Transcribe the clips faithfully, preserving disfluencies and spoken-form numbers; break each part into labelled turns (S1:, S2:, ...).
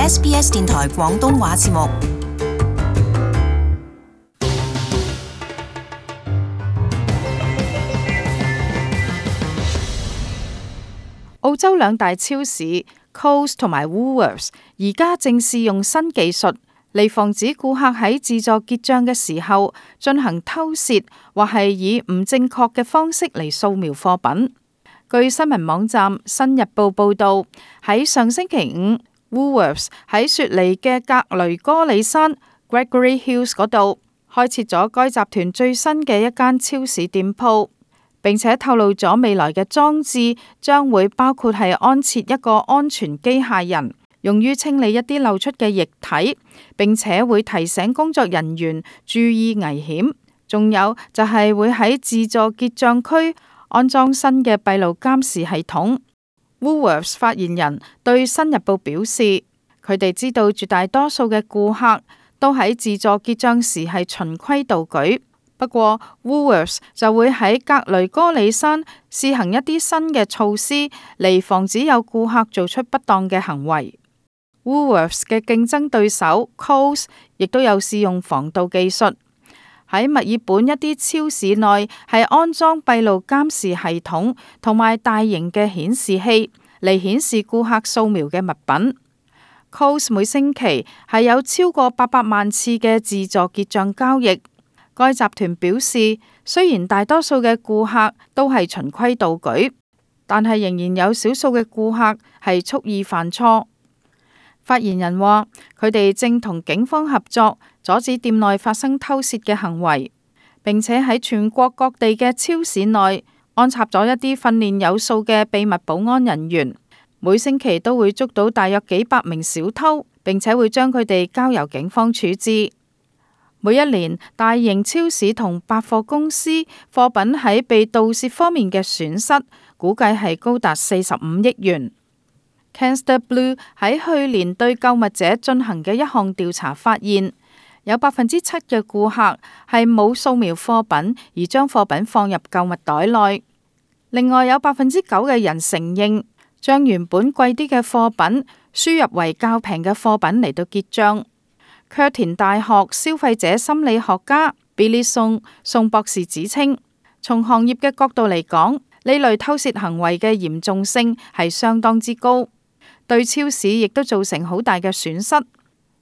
S1: S B S 電台廣東話節目。
S2: 澳洲兩大超市 Coles 同埋 Woolworths 而家正試用新技術嚟防止顧客喺自助結賬嘅時候進行偷竊，或係以唔正確嘅方式嚟掃描貨品。據新聞網站《新日報》報道，喺上星期五 Woolworths 喺雪梨嘅格雷戈里山 Gregory Hills 嗰度開設咗該集團最新嘅一間超市店鋪，並且透露咗未來嘅裝置將會包括係安設一個安全機械人，用於清理一啲漏出嘅液體，並且會提醒工作人員注意危險。仲有就係會喺自助結賬區安裝新嘅閉路監視系統。Woolworths 發言人對新日報表示，佢哋知道絕大多數嘅顧客都喺自助結賬時係循規蹈矩，不過 Woolworths 就會喺格雷戈里山試行一啲新嘅措施嚟防止有顧客做出不當嘅行為。Woolworths 嘅競爭對手 Coles 亦都有試用防盜技術，喺墨爾本一啲超市內係安裝閉路監視系統同埋大型嘅顯示器嚟顯示顧客掃描嘅物品。Coles 每星期係有超過八百萬次嘅自助結賬交易。該集團表示，雖然大多數嘅顧客都係循規蹈矩，但係仍然有少數嘅顧客係蓄意犯錯。發言人話，佢哋正同警方合作，阻止店內發生偷竊嘅行為，並且喺全國各地嘅超市內安插咗一啲訓練有素嘅秘密保安人員，每星期都會捉到大約幾百名小偷，並且會將佢哋交由警方處置。每一年，大型超市同百貨公司貨品喺被盜竊方面嘅損失，估計係高達四十五億元。Canster Blue 喺去年對購物者進行嘅一項調查發現，有百分之七嘅顧客係冇掃描貨品而將貨品放入購物袋內。另外有百分之九嘅人承認將原本貴啲嘅貨品輸入為較平嘅貨品嚟到結賬。卻田大學消費者心理學家 Billy Song 宋博士指稱，從行業嘅角度嚟講，呢類偷竊行為嘅嚴重性係相當之高，對超市亦都造成好大嘅損失。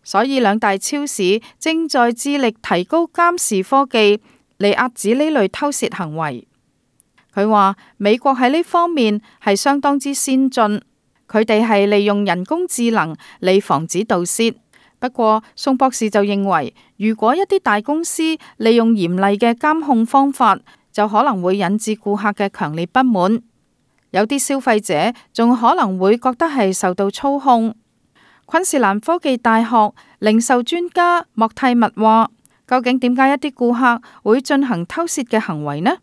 S2: 所以兩大超市正在致力提高監視科技嚟遏止呢類偷竊行為。佢話美國喺呢方面係相當之先進，佢哋係利用人工智能嚟防止盜竊。不過，宋博士就認為，如果一啲大公司利用嚴厲嘅監控方法，就可能會引致顧客嘅強烈不滿。有啲消費者仲可能會覺得係受到操控。昆士蘭科技大學零售專家莫蒂密話，究竟點解一啲顧客會進行偷竊嘅行為呢？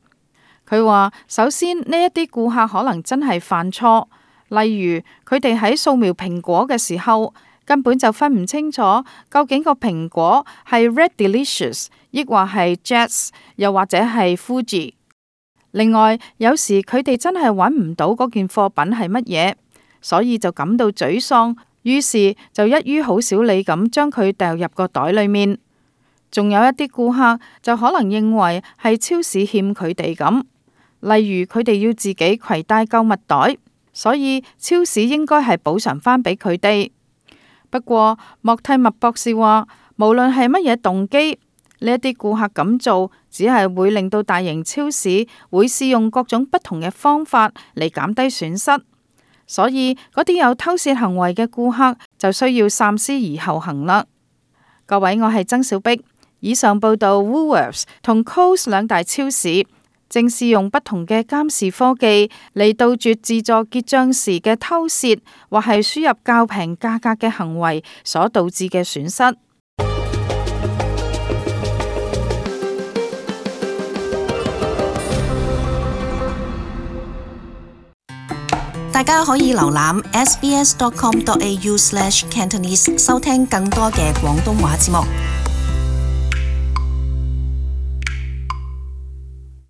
S2: 佢話，首先呢一啲顧客可能真係犯錯，例如佢哋喺掃描蘋果嘅時候，根本就分唔清楚究竟個蘋果係 Red Delicious， 抑或係 Jets， 又或者係 Fuji。另外，有時佢哋真係揾唔到嗰件貨品係乜嘢，所以就感到沮喪，於是就一於好小理咁將佢掉入個袋裏面。仲有一啲顧客就可能認為係超市欠佢哋咁，例如佢哋要自己攜帶購物袋，所以超市應該係補償返俾佢哋。不過，莫蒂默博士話，無論係乜嘢動機，呢一啲顧客咁做，只係會令到大型超市會試用各種不同嘅方法嚟減低損失。所以，嗰啲有偷竊行為嘅顧客就需要三思而後行啦。各位，我係曾小碧。以上報道 Woolworths 同 Coles 兩大超市正試用不同嘅監視科技嚟杜絕自助結賬時嘅偷竊或係輸入較平價格嘅行為所導致嘅損失。
S1: 大家可以瀏覽 s b s dot com dot a u slash cantonese 收聽更多嘅廣東話節目。